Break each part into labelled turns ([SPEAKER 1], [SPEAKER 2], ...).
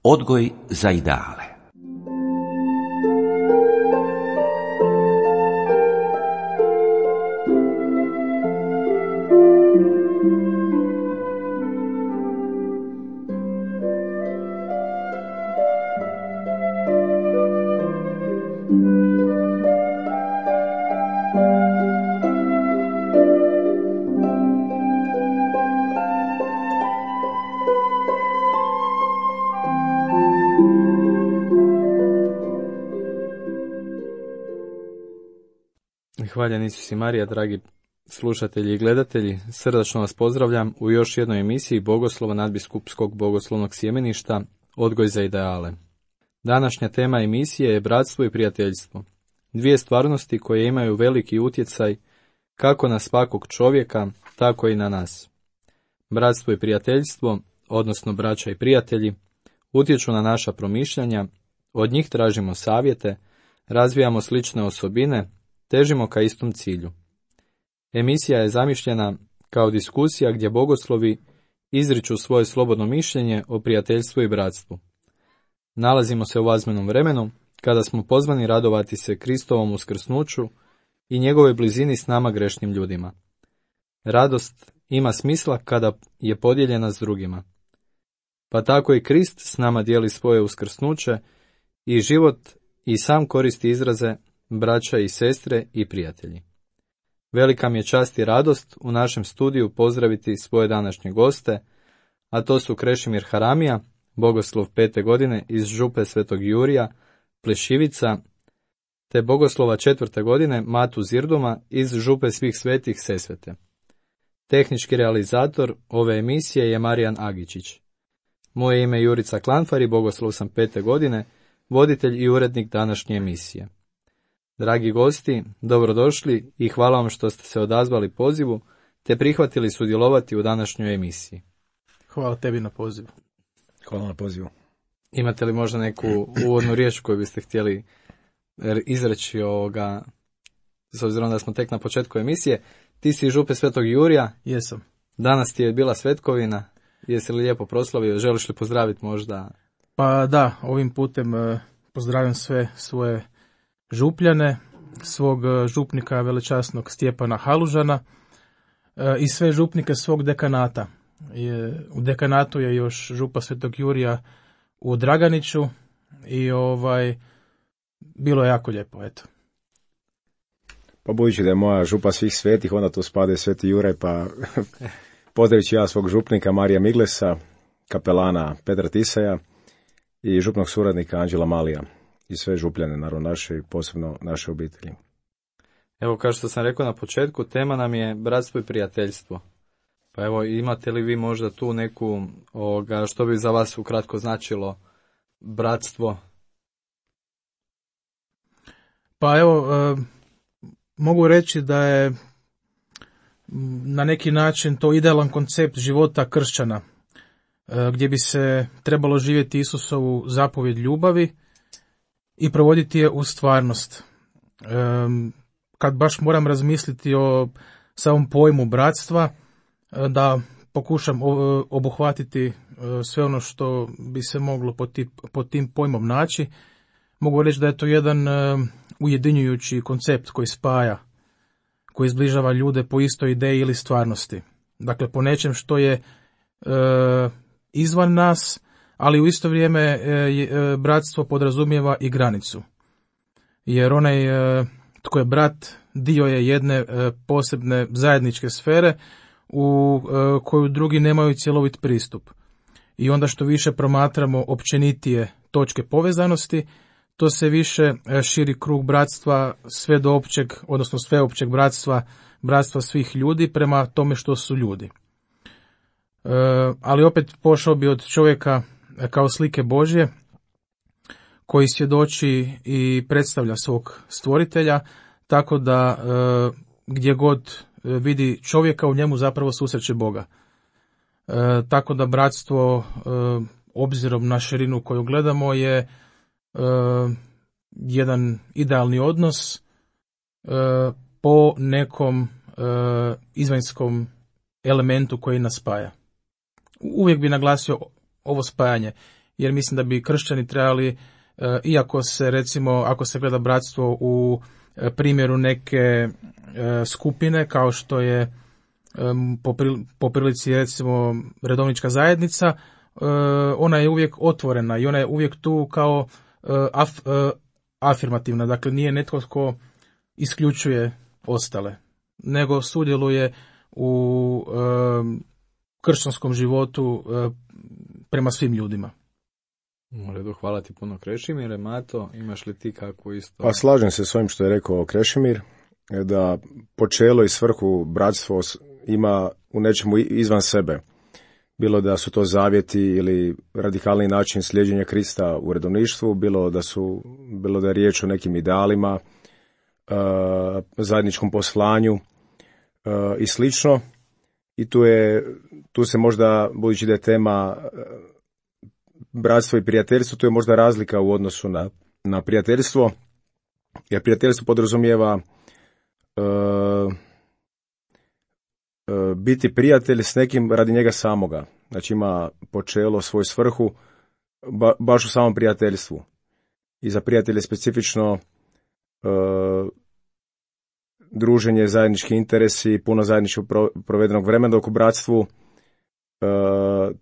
[SPEAKER 1] Odgoj za ideale.
[SPEAKER 2] Hvaljen Isus i Marija, dragi slušatelji i gledatelji, srdačno vas pozdravljam u još jednoj emisiji Bogoslova nadbiskupskog bogoslovnog sjemeništa Odgoj za ideale. Današnja tema emisije je bratstvo i prijateljstvo. Dvije stvarnosti koje imaju veliki utjecaj kako na svakog čovjeka, tako i na nas. Bratstvo i prijateljstvo, odnosno braća i prijatelji, utječu na naša promišljanja, od njih tražimo savjete, razvijamo slične osobine, težimo ka istom cilju. Emisija je zamišljena kao diskusija gdje bogoslovi izriču svoje slobodno mišljenje o prijateljstvu i bratstvu. Nalazimo se u azmenom vremenu, kada smo pozvani radovati se Kristovom uskrsnuću i njegove blizini s nama grešnim ljudima. Radost ima smisla kada je podijeljena s drugima. Pa tako i Krist s nama dijeli svoje uskrsnuće i život i sam koristi izraze braća i sestre i prijatelji. Velika mi je čast i radost u našem studiju pozdraviti svoje današnje goste, a to su Krešimir Haramija, bogoslov 5. godine iz župe Svetog Jurija, Plešivica, te bogoslova 4. godine Matu Zirduma iz župe Svih svetih Sesvete. Tehnički realizator ove emisije je Marijan Agičić. Moje ime je Jurica Klanfar i bogoslov sam 5. godine, voditelj i urednik današnje emisije. Dragi gosti, dobrodošli i hvala vam što ste se odazvali pozivu te prihvatili sudjelovati u današnjoj emisiji.
[SPEAKER 3] Hvala tebi na pozivu.
[SPEAKER 4] Hvala na pozivu.
[SPEAKER 2] Imate li možda neku uvodnu riječ koju biste htjeli izreći s obzirom da smo tek na početku emisije? Ti si iz župe Svetog Jurija.
[SPEAKER 3] Jesam.
[SPEAKER 2] Danas ti je bila svetkovina. Jesi li lijepo proslavio? Želiš li pozdraviti možda?
[SPEAKER 3] Pa da, ovim putem pozdravljam sve svoje župljane, svog župnika velečasnog Stjepana Halužana i sve župnike svog dekanata. U dekanatu je još župa Svetog Jurija u Draganiću i bilo je jako lijepo, eto.
[SPEAKER 4] Pa budući da je moja župa Svih svetih, onda tu spada i Sveti Juraj, pa pozdravit ću ja svog župnika Marija Miglesa, kapelana Petra Tisaja i župnog suradnika Anđela Malija. I sve župljane, naravno naše i posebno naše obitelji.
[SPEAKER 2] Evo, kao što sam rekao na početku, tema nam je bratstvo i prijateljstvo. Pa evo, imate li vi možda tu neku, što bi za vas ukratko značilo bratstvo?
[SPEAKER 3] Pa evo, mogu reći da je na neki način to idealan koncept života kršćana, gdje bi se trebalo živjeti Isusovu zapovjed ljubavi i provoditi je u stvarnost. Kad baš moram razmisliti o samom pojmu bratstva, da pokušam obuhvatiti sve ono što bi se moglo pod tim pojmom naći, mogu reći da je to jedan ujedinjujući koncept koji spaja, koji zbližava ljude po istoj ideji ili stvarnosti. Dakle, po nečem što je izvan nas, ali u isto vrijeme bratstvo podrazumijeva i granicu. Jer onaj tko je brat dio je jedne posebne zajedničke sfere u koju drugi nemaju cjelovit pristup. I onda što više promatramo općenitije točke povezanosti, to se više širi krug bratstva sve do općeg, odnosno sveopćeg bratstva svih ljudi prema tome što su ljudi. Ali opet pošao bi od čovjeka kao slike Božje, koji svjedoči i predstavlja svog stvoritelja, tako da gdje god vidi čovjeka, u njemu zapravo susreće Boga. Tako da bratstvo, obzirom na širinu koju gledamo, je jedan idealni odnos po nekom izvanjskom elementu koji nas spaja. Uvijek bi naglasio ovo spajanje, jer mislim da bi kršćani trebali, iako se recimo, ako se gleda bratstvo u primjeru neke skupine, kao što je po prilici recimo redovnička zajednica, ona je uvijek otvorena i ona je uvijek tu kao afirmativna, dakle nije netko tko isključuje ostale, nego sudjeluje u kršćanskom životu prema svim ljudima.
[SPEAKER 2] U redu, hvala ti puno Krešimire. Mato, imaš li ti kakvu isto?
[SPEAKER 4] Pa slažem se s ovim što je rekao Krešimir, da počelo i svrhu bratstvo ima u nečemu izvan sebe. Bilo da su to zavjeti ili radikalni način slijeđenja Krista u redovništvu, bilo da je riječ o nekim idealima, zajedničkom poslanju i slično. I tu se možda, budući da je tema bratstvo i prijateljstvo, tu je možda razlika u odnosu na prijateljstvo, jer prijateljstvo podrazumijeva biti prijatelj s nekim radi njega samoga. Znači ima počelo svoju svrhu baš u samom prijateljstvu. I za prijatelje specifično druženje, zajednički interesi, puno zajedničkog provedenog vremena, dok u bratstvu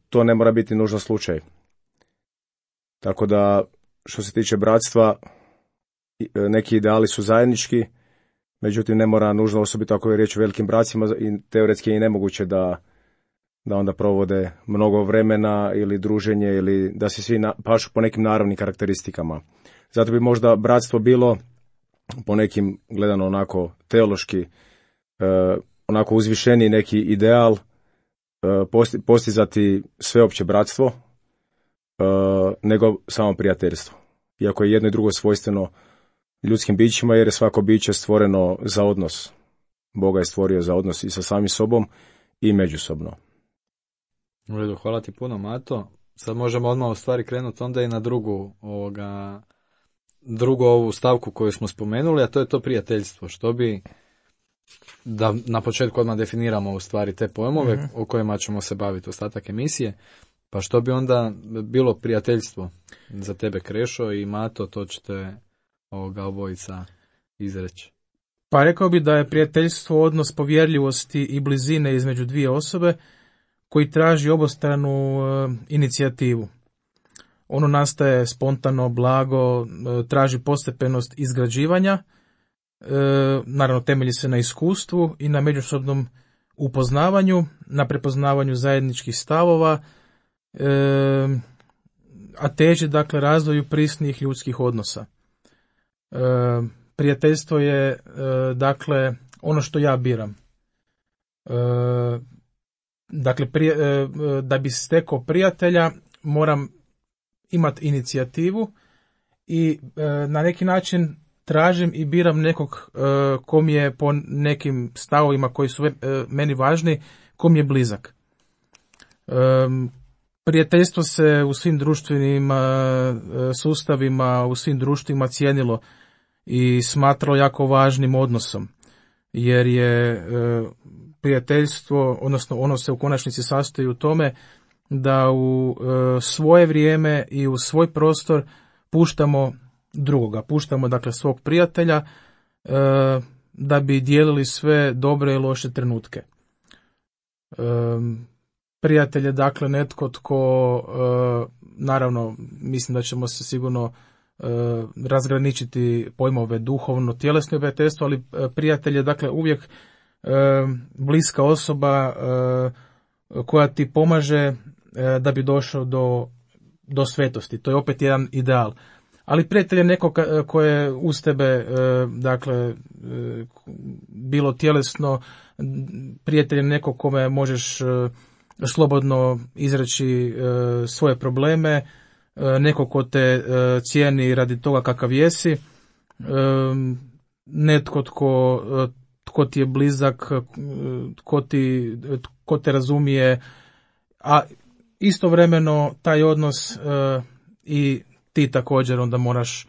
[SPEAKER 4] to ne mora biti nužno slučaj. Tako da, što se tiče bratstva, neki ideali su zajednički, međutim ne mora nužno, osobito ako je riječ o velikim bratcima, i teoretski je i nemoguće da onda provode mnogo vremena ili druženje, ili da se svi pašu po nekim naravnim karakteristikama. Zato bi možda bratstvo bilo po nekim, gledano onako teološki, onako uzvišeni neki ideal, postizati sveopće bratstvo, nego samo prijateljstvo. Iako je jedno i drugo svojstveno ljudskim bićima, jer je svako biće stvoreno za odnos. Boga je stvorio za odnos i sa samim sobom i međusobno.
[SPEAKER 2] U redu, hvala ti puno, Mato. Sad možemo odmah u stvari krenuti onda i na drugu ovu stavku koju smo spomenuli, a to je to prijateljstvo. Što bi, da na početku odmah definiramo u stvari te pojmove o kojima ćemo se baviti ostatak emisije, pa što bi onda bilo prijateljstvo za tebe, Krešo, i Mato, to ćete obojica izreći.
[SPEAKER 3] Pa rekao bi da je prijateljstvo odnos povjerljivosti i blizine između dvije osobe koji traži obostranu inicijativu. Ono nastaje spontano, blago, traži postepenost izgrađivanja, naravno temelji se na iskustvu i na međusobnom upoznavanju, na prepoznavanju zajedničkih stavova, a teži dakle razvoju prisnijih ljudskih odnosa. Prijateljstvo je dakle ono što ja biram. Dakle, da bi stekao prijatelja moram imati inicijativu i na neki način tražim i biram nekog ko mi je po nekim stavovima koji su meni važni, ko mi je blizak. Prijateljstvo se u svim društvenim sustavima, u svim društvima cijenilo i smatralo jako važnim odnosom, jer je prijateljstvo, odnosno ono se u konačnici sastoji u tome da u svoje vrijeme i u svoj prostor puštamo drugoga, puštamo dakle svog prijatelja da bi dijelili sve dobre i loše trenutke. Prijatelj je dakle netko tko, naravno mislim da ćemo se sigurno razgraničiti pojmove duhovno, tjelesno prijateljstvo, ali prijatelj je dakle uvijek bliska osoba koja ti pomaže da bi došao do svetosti. To je opet jedan ideal. Ali prijatelj je neko koje je uz tebe, dakle, bilo tjelesno, prijatelj je neko kome možeš slobodno izreći svoje probleme, neko ko te cijeni radi toga kakav jesi, netko tko ti je blizak, tko te razumije, a istovremeno taj odnos i ti također onda moraš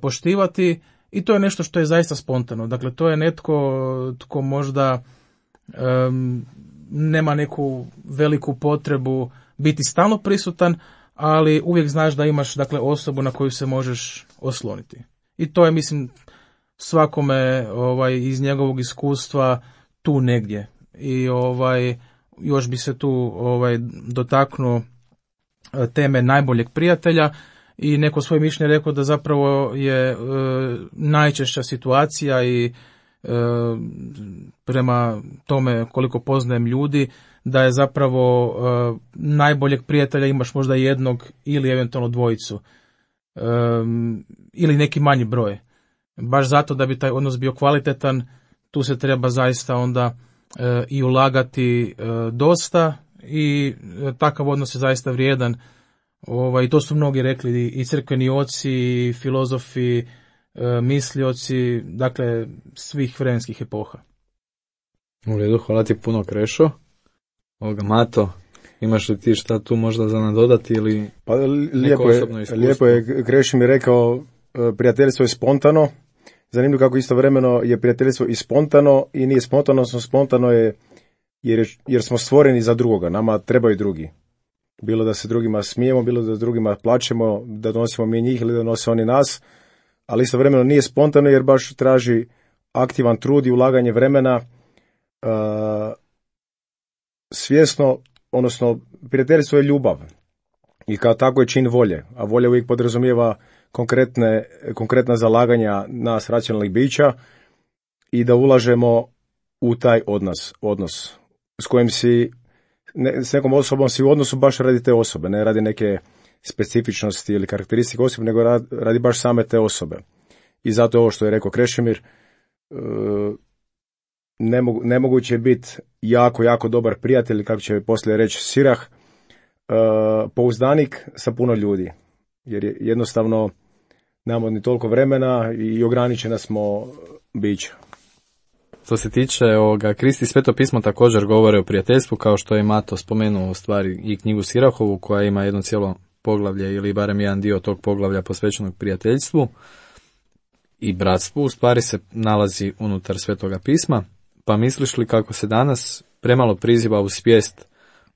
[SPEAKER 3] poštivati i to je nešto što je zaista spontano. Dakle, to je netko tko možda nema neku veliku potrebu biti stalno prisutan, ali uvijek znaš da imaš dakle osobu na koju se možeš osloniti. I to je, mislim, svakome iz njegovog iskustva tu negdje. I još bi se tu dotaknuo teme najboljeg prijatelja i neko svoje mišljenje rekao da zapravo je najčešća situacija i prema tome koliko poznajem ljudi, da je zapravo najboljeg prijatelja imaš možda jednog ili eventualno dvojicu ili neki manji broj. Baš zato da bi taj odnos bio kvalitetan, tu se treba zaista onda i ulagati dosta i takav odnos je zaista vrijedan. I to su mnogi rekli, i crkveni oci, i filozofi, mislioci, dakle svih vremenskih epoha.
[SPEAKER 2] U redu, hvala ti puno, Krešo. Mato, imaš li ti šta tu možda za nadodati ili
[SPEAKER 4] pa,
[SPEAKER 2] neko osobno iskustvo?
[SPEAKER 4] Lijepo je Krešo mi rekao, prijateljstvo je spontano. Zanimljivo kako istovremeno je prijateljstvo i spontano i nije spontano, odnosno spontano je jer smo stvoreni za drugoga, nama trebaju drugi. Bilo da se drugima smijemo, bilo da drugima plačemo, da donosimo mi njih ili da donose oni nas, ali istovremeno nije spontano jer baš traži aktivan trud i ulaganje vremena, svjesno, odnosno prijateljstvo je ljubav i kao tako je čin volje, a volja uvijek podrazumijeva konkretna zalaganja nas racionalnih bića i da ulažemo u taj odnos s kojim s nekom osobom si u odnosu baš radi te osobe, ne radi neke specifičnosti ili karakteristike osobe, nego radi baš same te osobe. I zato ovo što je rekao Krešimir, nemoguće je biti jako dobar prijatelj, kako će poslije reći Sirah, pouzdanik sa puno ljudi, jer je jednostavno nemamo ni toliko vremena i ograničena smo bića.
[SPEAKER 2] Što se tiče Kristi Sveto pismo također govore o prijateljstvu, kao što je Mato spomenuo u stvari i knjigu Sirahovu, koja ima jedno cijelo poglavlje ili barem jedan dio tog poglavlja posvećenog prijateljstvu i bratstvu, u stvari se nalazi unutar Svetoga pisma. Pa misliš li kako se danas premalo priziva u svijest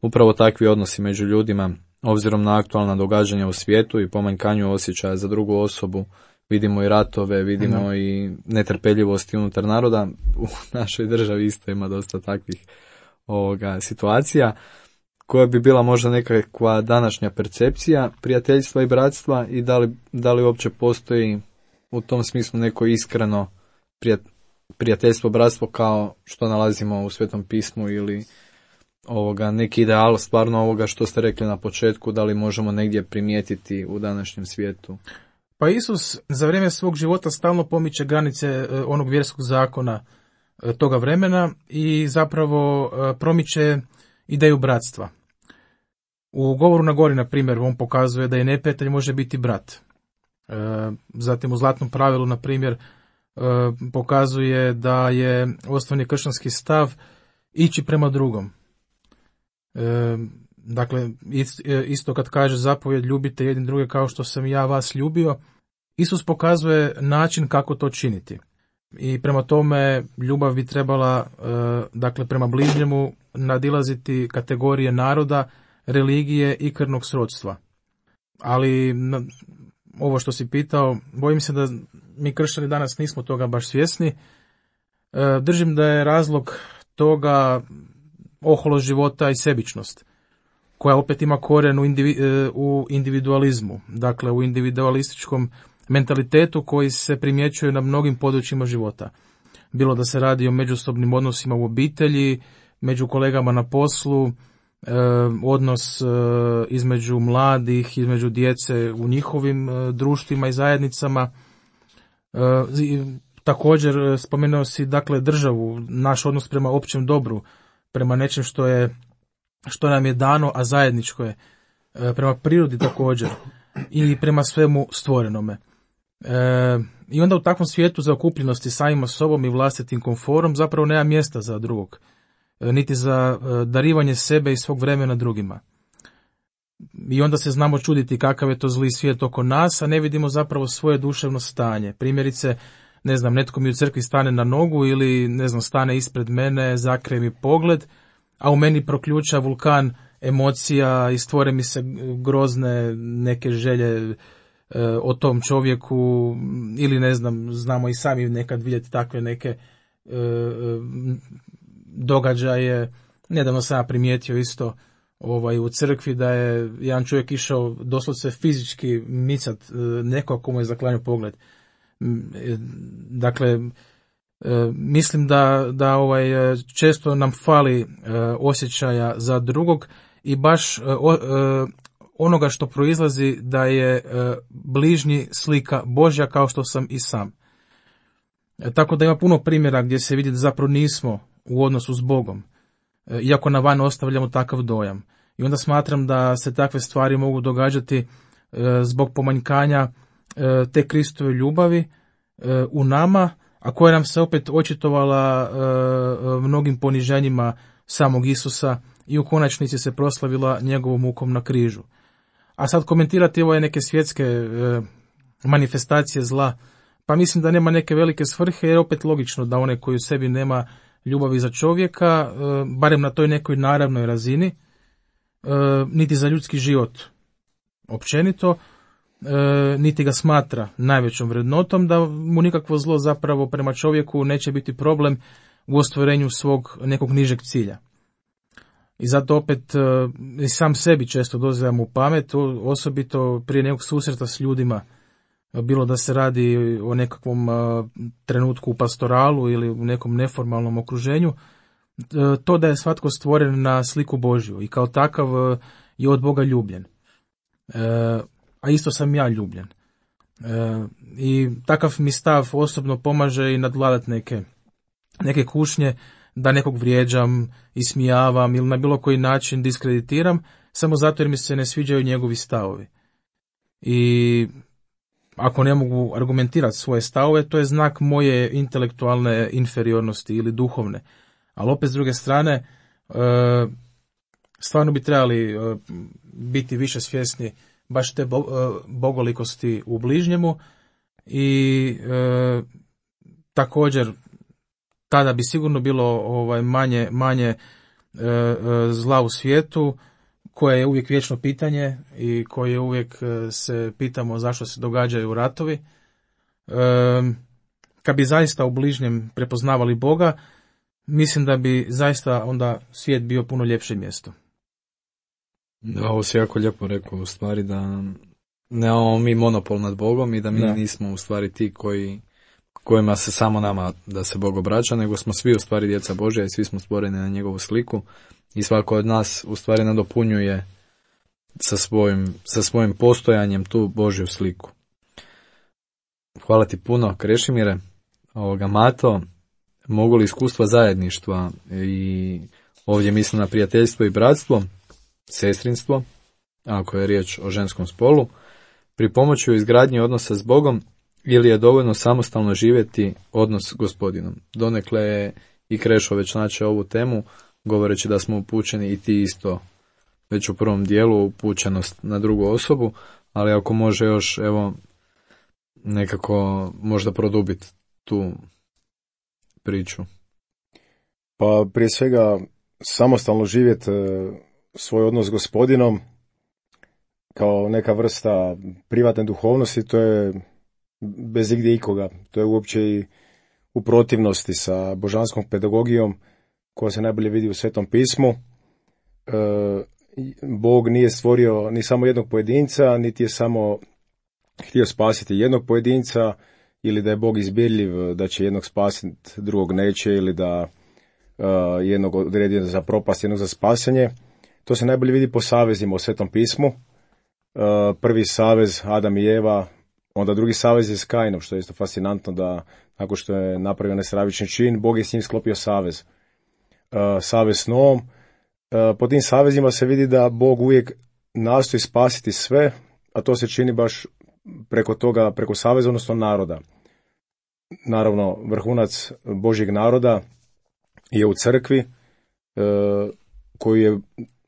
[SPEAKER 2] upravo takvi odnosi među ljudima, obzirom na aktualna događanja u svijetu i pomanjkanju osjećaja za drugu osobu? Vidimo i ratove, vidimo i netrpeljivosti unutar naroda. U našoj državi isto ima dosta takvih situacija, koja bi bila možda nekakva današnja percepcija prijateljstva i bratstva i da li uopće postoji u tom smislu neko iskreno prijateljstvo, bratstvo kao što nalazimo u Svetom pismu ili neki ideal stvarno ovoga što ste rekli na početku, da li možemo negdje primijetiti u današnjem svijetu?
[SPEAKER 3] Pa Isus za vrijeme svog života stalno pomiče granice onog vjerskog zakona toga vremena i zapravo promiče ideju bratstva. U govoru na gori, na primjer, on pokazuje da i neprijatelj može biti brat. Zatim u Zlatnom pravilu, na primjer, pokazuje da je osnovni kršćanski stav ići prema drugom. Dakle, isto kad kaže zapovjed ljubite jedni druge kao što sam ja vas ljubio, Isus pokazuje način kako to činiti. I prema tome ljubav bi trebala, dakle, prema bližnjemu nadilaziti kategorije naroda, religije i krvnog srodstva. Ali ovo što si pitao, bojim se da mi kršćani danas nismo toga baš svjesni. Držim da je razlog toga oholost života i sebičnost, koja opet ima korijen u individualizmu, dakle u individualističkom mentalitetu koji se primjećuje na mnogim područjima života. Bilo da se radi o međusobnim odnosima u obitelji, među kolegama na poslu, odnos između mladih, između djece u njihovim društvima i zajednicama. Također spomenuo si, dakle, državu, naš odnos prema općem dobru, prema nečem što nam je dano, a zajedničko je, prema prirodi također i prema svemu stvorenome. I onda u takvom svijetu za okupljenosti samima sobom i vlastitim komforom zapravo nema mjesta za drugog, niti za darivanje sebe i svog vremena drugima. I onda se znamo čuditi kakav je to zli svijet oko nas, a ne vidimo zapravo svoje duševno stanje. Primjerice, ne znam, netko mi u crkvi stane na nogu ili, ne znam, stane ispred mene, zakrije mi pogled, a u meni proključa vulkan emocija i stvore mi se grozne neke želje o tom čovjeku, ili ne znam, znamo i sami nekad vidjeti takve neke događaje. Nedavno sam ja primijetio isto u crkvi da je jedan čovjek išao doslovce fizički micat nekog komu je zaklanjao pogled. Dakle, mislim da često nam fali osjećaja za drugog i baš onoga što proizlazi da je bližnji slika Božja kao što sam i sam. Tako da ima puno primjera gdje se vidi da zapravo nismo u odnosu s Bogom, iako na van ostavljamo takav dojam. I onda smatram da se takve stvari mogu događati zbog pomanjkanja te Kristove ljubavi u nama, a koja nam se opet očitovala mnogim poniženjima samog Isusa i u konačnici se proslavila njegovom mukom na križu. A sad komentirati ove neke svjetske manifestacije zla, pa mislim da nema neke velike svrhe, jer je opet logično da onaj koji u sebi nema ljubavi za čovjeka, barem na toj nekoj naravnoj razini, niti za ljudski život općenito, niti ga smatra najvećom vrednotom, da mu nikakvo zlo zapravo prema čovjeku neće biti problem u ostvarenju svog nekog nižeg cilja. I zato opet i sam sebi često dozivamo u pamet, osobito prije nekog susreta s ljudima, bilo da se radi o nekakvom trenutku u pastoralu ili u nekom neformalnom okruženju, to da je svatko stvoren na sliku Božju i kao takav je od Boga ljubljen. A isto sam ja ljubljen. I takav mi stav osobno pomaže i nadvladati neke kušnje, da nekog vrijeđam, ismijavam ili na bilo koji način diskreditiram, samo zato jer mi se ne sviđaju njegovi stavovi. I ako ne mogu argumentirati svoje stavove, to je znak moje intelektualne inferiornosti ili duhovne. Ali opet s druge strane, stvarno bi trebali biti više svjesni baš te bogolikosti u bližnjemu i također tada bi sigurno bilo manje zla u svijetu, koje je uvijek vječno pitanje i koje uvijek se pitamo zašto se događaju ratovi. Kad bi zaista u bližnjem prepoznavali Boga, mislim da bi zaista onda svijet bio puno ljepše mjesto.
[SPEAKER 2] Da, ovo si jako lijepo rekao, u stvari da nemamo mi monopol nad Bogom i da mi nismo u stvari ti kojima se samo nama da se Bog obraća, nego smo svi u stvari djeca Božja i svi smo stvoreni na njegovu sliku i svako od nas u stvari nadopunjuje sa svojim postojanjem tu Božju sliku. Hvala ti puno, Krešimire. Mato, mogu li iskustva zajedništva i ovdje mislim na prijateljstvo i bratstvo, sestrinstvo, ako je riječ o ženskom spolu, pripomoći u izgradnji odnosa s Bogom ili je dovoljno samostalno živjeti odnos s Gospodinom? Donekle je i Krešo već načeo ovu temu, govoreći da smo upućeni i ti isto već u prvom dijelu upućenost na drugu osobu, ali ako može još nekako možda produbiti tu priču.
[SPEAKER 4] Pa prije svega samostalno živjeti svoj odnos s Gospodinom kao neka vrsta privatne duhovnosti, to je bez igdje ikoga. To je uopće i u protivnosti sa božanskom pedagogijom koja se najbolje vidi u Svetom pismu. Bog nije stvorio ni samo jednog pojedinca, niti je samo htio spasiti jednog pojedinca, ili da je Bog izbirljiv, da će jednog spasiti, drugog neće, ili da jednog odredi za propast, jednog za spasenje. To se najbolje vidi po savezima u Svetom pismu. Prvi savez Adam i Eva, onda drugi savez je s Kainom, što je isto fascinantno da nakon što je napravio nestravični čin, Bog je s njim sklopio savez. Savez s Noom. Po tim savezima se vidi da Bog uvijek nastoji spasiti sve, a to se čini baš preko saveza, odnosno naroda. Naravno, vrhunac Božjeg naroda je u crkvi, koju je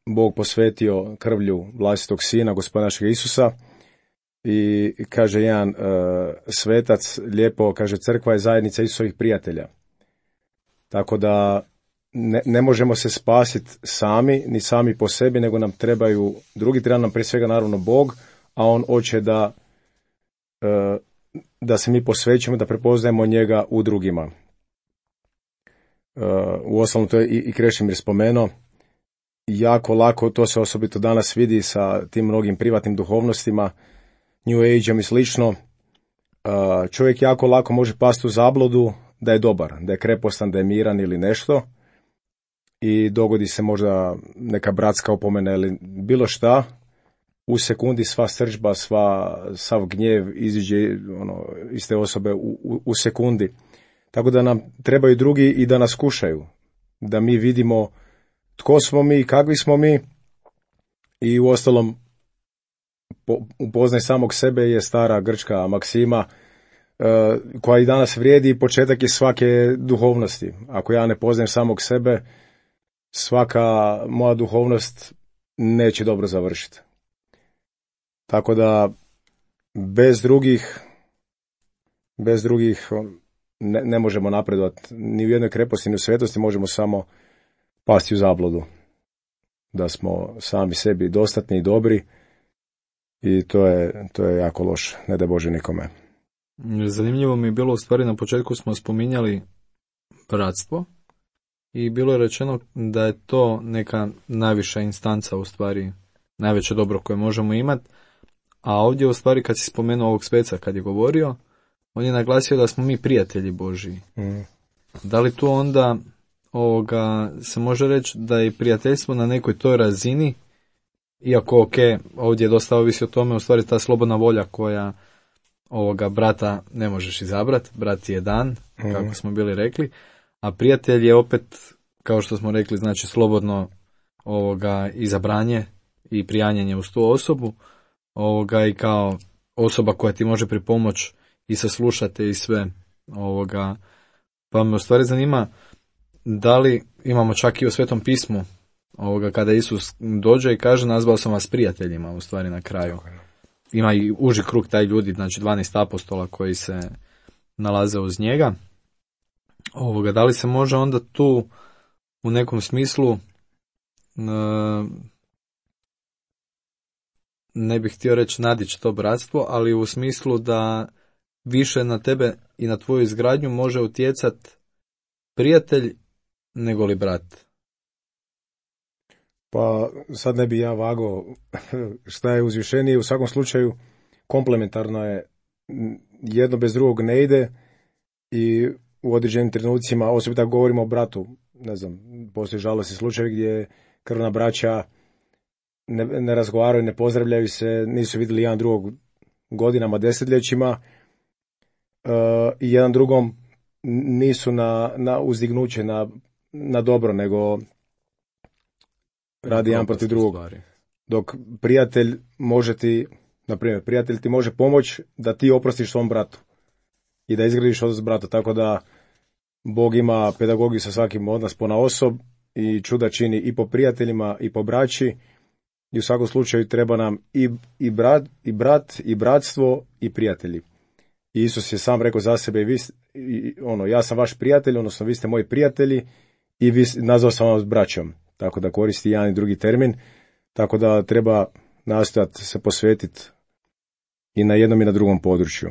[SPEAKER 4] Bog posvetio krvlju vlastitog sina, Gospodina našeg Isusa. I kaže jedan svetac lijepo, kaže, crkva je zajednica Isusovih prijatelja. Tako da ne možemo se spasiti sami, ni sami po sebi, nego nam trebaju drugi, treba nam prije svega naravno Bog, a on hoće da se mi posvećujemo, da prepoznajemo njega u drugima. Uostalom, to je i Krešimir spomenuo, jako lako, to se osobito danas vidi sa tim mnogim privatnim duhovnostima, New Age-om i slično, čovjek jako lako može pasti u zabludu da je dobar, da je krepostan, da je miran ili nešto i dogodi se možda neka bratska opomena ili bilo šta, u sekundi sva srdžba, sav gnjev iziđe iz te osobe u sekundi. Tako da nam trebaju drugi i da nas kušaju, da mi vidimo tko smo mi, kakvi smo mi i uostalom upoznaj samog sebe je stara grčka maksima koja i danas vrijedi i početak je svake duhovnosti. Ako ja ne poznajem samog sebe, svaka moja duhovnost neće dobro završiti. Tako da bez drugih ne možemo napredovati. Ni u jednoj kreposti, ni u svetosti možemo samo pasti u zabludu. Da smo sami sebi dostatni i dobri i to je jako loše. Ne daj Bože nikome.
[SPEAKER 2] Zanimljivo mi je bilo, u stvari na početku smo spominjali bratstvo i bilo je rečeno da je to neka najviša instanca, u stvari najveće dobro koje možemo imati, a ovdje u stvari kad si spomenuo ovog Speca kad je govorio, on je naglasio da smo mi prijatelji Božiji. Da li tu onda se može reći da je prijateljstvo na nekoj toj razini, iako ovdje dosta ovisi o tome, u stvari ta slobodna volja koja brata ne možeš izabrati, brat je dan, kako smo bili rekli, a prijatelj je opet, kao što smo rekli, znači slobodno izabranje i prijanjanje uz tu osobu, i kao osoba koja ti može pripomoć i saslušati i sve, pa me u stvari zanima da li imamo čak i u Svetom pismu, kada Isus dođe i kaže nazvao sam vas prijateljima, u stvari na kraju. Ima i uži krug taj ljudi, znači 12 apostola koji se nalaze uz njega. Da li se može onda tu u nekom smislu, ne bih htio reći nadići to bratstvo, ali u smislu da više na tebe i na tvoju izgradnju može utjecat prijatelj nego li brat?
[SPEAKER 4] Pa sad ne bi ja vagao šta je uzvišenije, u svakom slučaju komplementarno je, jedno bez drugog ne ide i u određenim trenucima, osobito tako govorimo o bratu, ne znam, postoji žalosni slučaj gdje krvna braća ne razgovaraju, ne pozdravljaju se, nisu vidjeli jedan drugog godinama, desetljećima i jedan drugom nisu na uzdignuće, na dobro, nego radi jedan protiv drugog. Dok prijatelj može ti, na primjer, prijatelj ti može pomoći da ti oprostiš svom bratu i da izgradiš odnos s bratom, tako da Bog ima pedagogiju sa svakim od nas ponaosob i čuda čini i po prijateljima i po braći i u svakom slučaju treba nam i brat i bratstvo i prijatelji. I Isus je sam rekao za sebe, ja sam vaš prijatelj, odnosno vi ste moji prijatelji i nazvao sam vas braćom. Tako da koristi jedan i drugi termin, tako da treba nastojati se posvetiti i na jednom i na drugom području.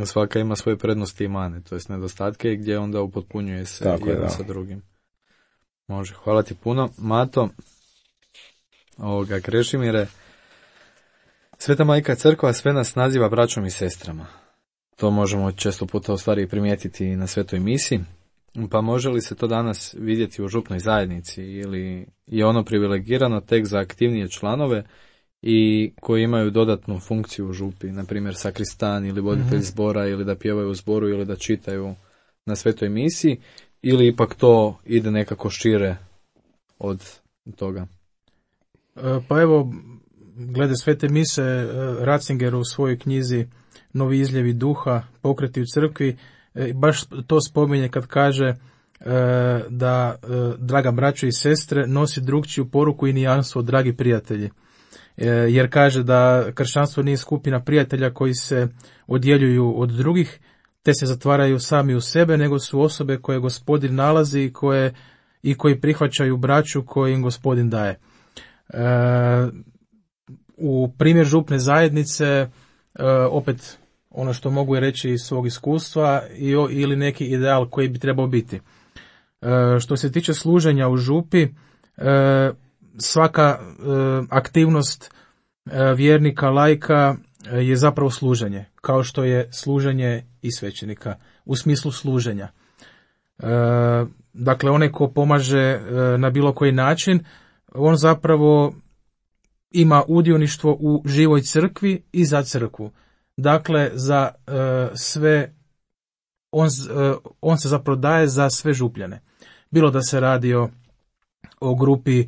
[SPEAKER 2] Svaka ima svoje prednosti i mane, to jest nedostatke gdje onda upotpunjuje se tako jedan sa drugim. Može, hvala ti puno. Mato, Krešimire, Sveta Majka Crkva sve nas naziva braćom i sestrama. To možemo često puta u stvari primijetiti na svetoj misi. Pa može li se to danas vidjeti u župnoj zajednici ili je ono privilegirano tek za aktivnije članove i koji imaju dodatnu funkciju u župi, na primjer sakristan ili voditelj zbora ili da pjevaju u zboru ili da čitaju na svetoj misi, ili ipak to ide nekako šire od toga?
[SPEAKER 3] Pa evo, glede svete mise, Ratzinger u svojoj knjizi Novi izljevi duha, pokreti u crkvi, baš to spominje kad kaže da, draga braćo i sestre, nosi drugčiju poruku i nijansu od dragi prijatelji. Jer kaže da kršćanstvo nije skupina prijatelja koji se odjeljuju od drugih, te se zatvaraju sami u sebe, nego su osobe koje Gospodin nalazi i koje i koji prihvaćaju braću koju im Gospodin daje. U primjer župne zajednice, opet ono što mogu reći iz svog iskustva, ili neki ideal koji bi trebao biti. Što se tiče služenja u župi, svaka aktivnost vjernika, laika je zapravo služenje, kao što je služenje i svećenika, u smislu služenja. Dakle, onaj ko pomaže na bilo koji način, on zapravo ima udioništvo u živoj crkvi i za crkvu. Dakle, za sve, on se zapravo daje za sve župljane. Bilo da se radi o grupi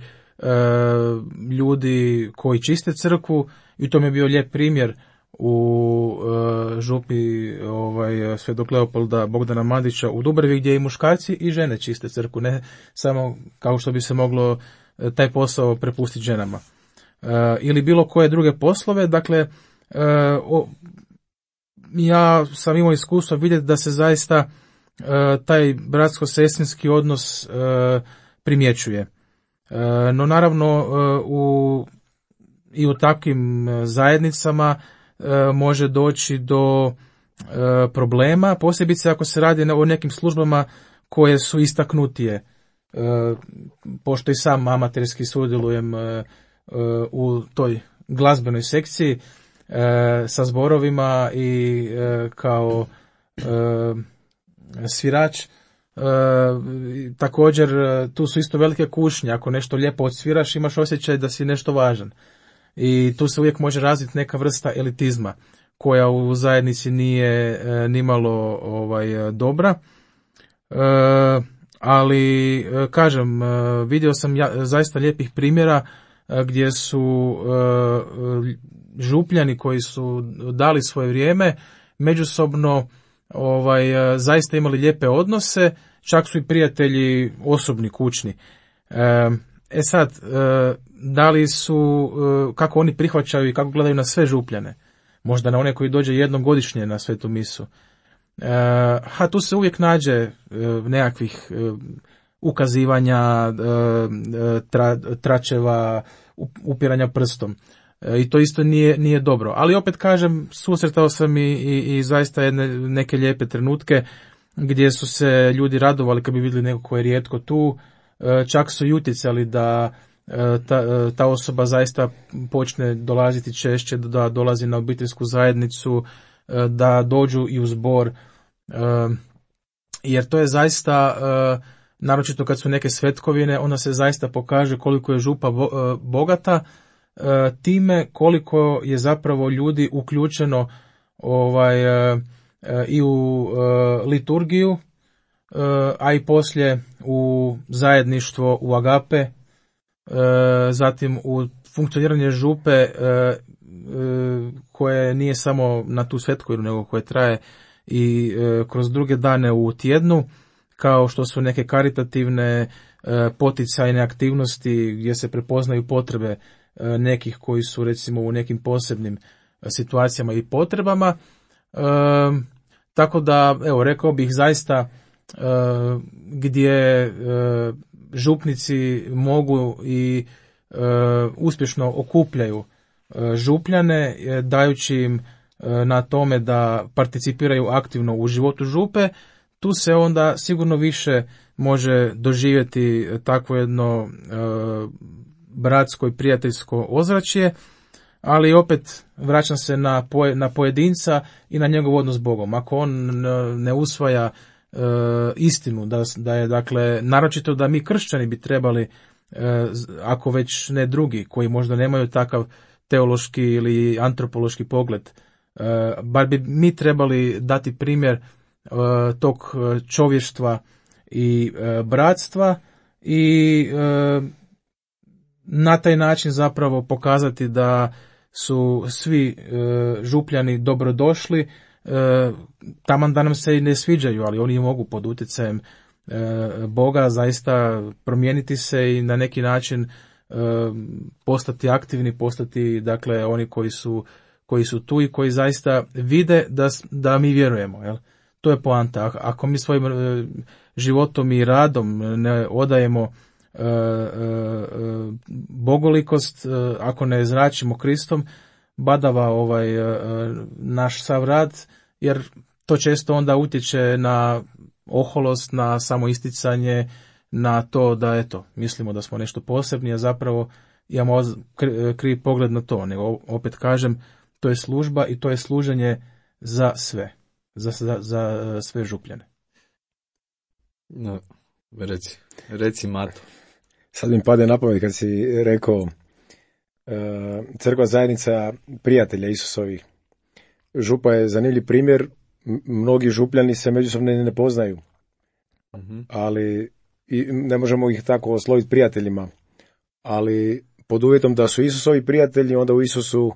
[SPEAKER 3] ljudi koji čiste crkvu, i to mi je bio lijep primjer u župi Svetog Leopolda Bogdana Mandića u Dubravi, gdje i muškarci i žene čiste crkvu, ne samo kao što bi se moglo taj posao prepustiti ženama. Ili bilo koje druge poslove. Dakle, ja sam imao iskustvo vidjeti da se zaista taj bratsko-sestrinski odnos primjećuje. No naravno i u takvim zajednicama može doći do problema, posebice ako se radi o nekim službama koje su istaknutije. Pošto i sam amaterski sudjelujem u toj glazbenoj sekciji sa zborovima i kao svirač, također tu su isto velike kušnje. Ako nešto lijepo odsviraš, imaš osjećaj da si nešto važan, i tu se uvijek može razviti neka vrsta elitizma koja u zajednici nije nimalo dobra. Ali kažem, vidio sam zaista lijepih primjera gdje su župljani koji su dali svoje vrijeme međusobno zaista imali lijepe odnose, čak su i prijatelji osobni, kućni. Sad, da li su, kako oni prihvaćaju i kako gledaju na sve župljane? Možda na one koji dođe jednom godišnje na svetu misu. Tu se uvijek nađe nekakvih ukazivanja, tračeva, upiranja prstom. I to isto nije dobro. Ali opet kažem, susretao sam i zaista neke lijepe trenutke gdje su se ljudi radovali kad bi vidjeli neko ko je rijetko tu. Čak su i utjecali da ta osoba zaista počne dolaziti češće, da dolazi na obiteljsku zajednicu, da dođu i u zbor. Jer to je zaista, naročito kad su neke svetkovine, onda se zaista pokaže koliko je župa bogata, time koliko je zapravo ljudi uključeno i u liturgiju, a i poslije u zajedništvo, u agape, zatim u funkcioniranje župe koje nije samo na tu svetkovinu, nego koje traje i kroz druge dane u tjednu, kao što su neke karitativne poticajne aktivnosti gdje se prepoznaju potrebe nekih koji su recimo u nekim posebnim situacijama i potrebama. Tako da, evo, rekao bih zaista gdje župnici mogu i uspješno okupljaju župljane, dajući im na tome da participiraju aktivno u životu župe, tu se onda sigurno više može doživjeti takvo jedno bratsko i prijateljsko ozračje, ali opet vraćam se na pojedinca i na njegov odnos s Bogom. Ako on ne usvaja istinu, da je, dakle, naročito da mi kršćani bi trebali, ako već ne drugi, koji možda nemaju takav teološki ili antropološki pogled, bar bi mi trebali dati primjer tog čovještva i bratstva i na taj način zapravo pokazati da su svi župljani dobrodošli, taman da nam se i ne sviđaju, ali oni mogu pod utjecajem Boga zaista promijeniti se i na neki način postati aktivni, postati, dakle, oni koji su tu i koji zaista vide da mi vjerujemo. Jel? To je poanta. Ako mi svojim životom i radom ne odajemo bogolikost, ako ne zračimo Kristom, badava naš sav rad, jer to često onda utječe na oholost, na samoisticanje, na to da eto, mislimo da smo nešto posebni, a zapravo imamo krivi pogled na to. Nego opet kažem, to je služba i to je služenje za sve, za sve župljane.
[SPEAKER 2] No, reci Mato.
[SPEAKER 4] Sad mi pade na pamet kad si rekao crkva zajednica prijatelja Isusovih. Župa je zanimljiv primjer, mnogi župljani se međusobno ne poznaju, ali i ne možemo ih tako osloviti prijateljima, ali pod uvjetom da su Isusovi prijatelji, onda u Isusu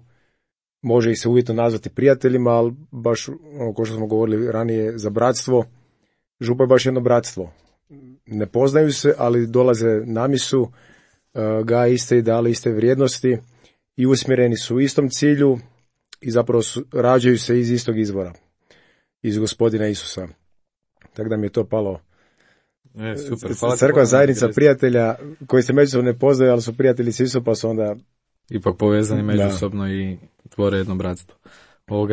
[SPEAKER 4] može ih se uvjetno nazvati prijateljima, ali baš, kao što smo govorili ranije, za bratstvo, župa je baš jedno bratstvo. Ne poznaju se, ali dolaze na misu, gaje iste ideale, iste vrijednosti i usmjereni su u istom cilju i zapravo rađaju se iz istog izvora, iz Gospodina Isusa. Tako da mi je to palo.
[SPEAKER 2] Super.
[SPEAKER 4] Crkva zajednica prijatelja koji se međusobno ne poznaju, ali su prijatelji s Isusom, pa su onda
[SPEAKER 2] ipak povezani međusobno i tvore jedno bratstvo.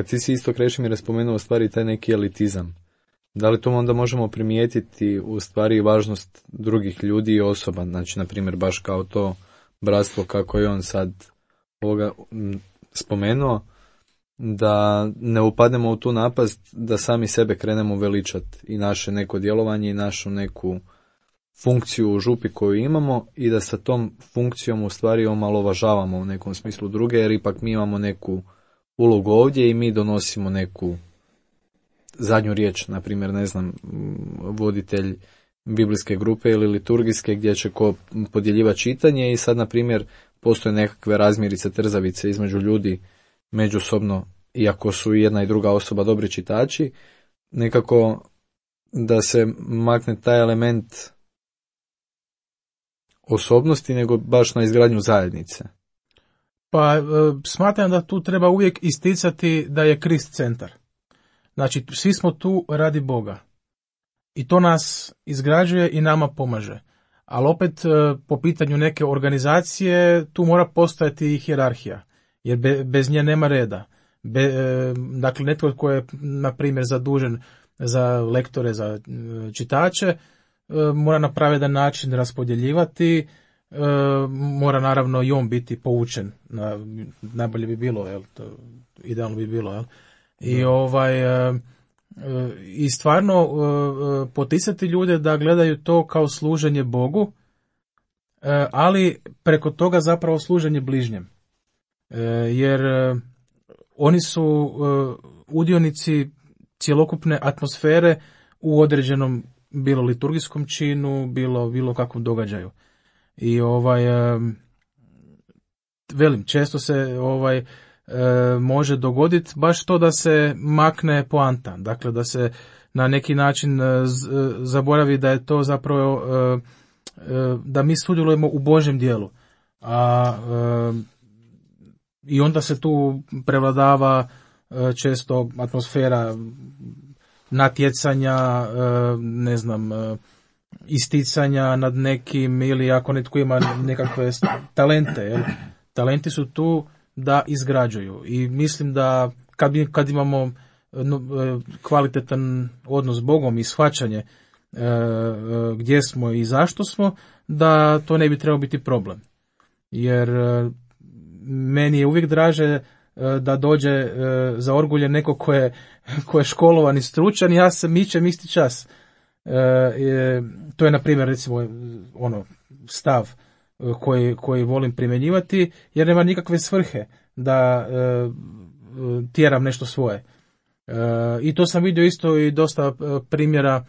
[SPEAKER 2] Ti si isto, Krešimire, spomenuo u stvari taj neki elitizam. Da li to onda možemo primijetiti u stvari važnost drugih ljudi i osoba, znači na primjer baš kao to bratstvo kako je on sad spomenuo, da ne upadnemo u tu napast da sami sebe krenemo veličati i naše neko djelovanje i našu neku funkciju u župi koju imamo i da sa tom funkcijom u stvari omalovažavamo u nekom smislu druge, jer ipak mi imamo neku ulogu ovdje i mi donosimo neku zadnju riječ, na primjer, ne znam, voditelj biblijske grupe ili liturgijske gdje će ko podjeljivati čitanje i sad, na primjer, postoje nekakve razmirice, trzavice između ljudi međusobno, iako su jedna i druga osoba dobri čitači, nekako da se makne taj element osobnosti, nego baš na izgradnju zajednice.
[SPEAKER 3] Pa smatram da tu treba uvijek isticati da je Krist centar. Znači, svi smo tu radi Boga. I to nas izgrađuje i nama pomaže. Ali opet, po pitanju neke organizacije, tu mora postojati hijerarhija. Jer bez nje nema reda. Dakle, netko tko je, na primjer, zadužen za lektore, za čitače, mora na pravedan način raspodjeljivati, mora naravno i on biti poučen. Najbolje bi bilo, idealno bi bilo, jel? I stvarno poticati ljude da gledaju to kao služenje Bogu, ali preko toga zapravo služenje bližnjem. Jer oni su udionici cjelokupne atmosfere u određenom bilo liturgijskom činu, bilo kakvom događaju. I velim, često se može dogoditi baš to da se makne poanta, dakle da se na neki način zaboravi da je to zapravo da mi sudjelujemo u Božjem djelu, i onda se tu prevladava često atmosfera natjecanja, ne znam, isticanja nad nekim, ili ako netko ima nekakve talente, jel? Talenti su tu da izgrađuju i mislim da kad imamo kvalitetan odnos s Bogom i shvaćanje gdje smo i zašto smo, da to ne bi trebao biti problem. Jer meni je uvijek draže da dođe za orgulje neko ko je školovan i stručan, ja se mičem isti čas. To je, na primjer, recimo, stav koji volim primjenjivati, jer nema nikakve svrhe da tjeram nešto svoje. I to sam vidio isto i dosta primjera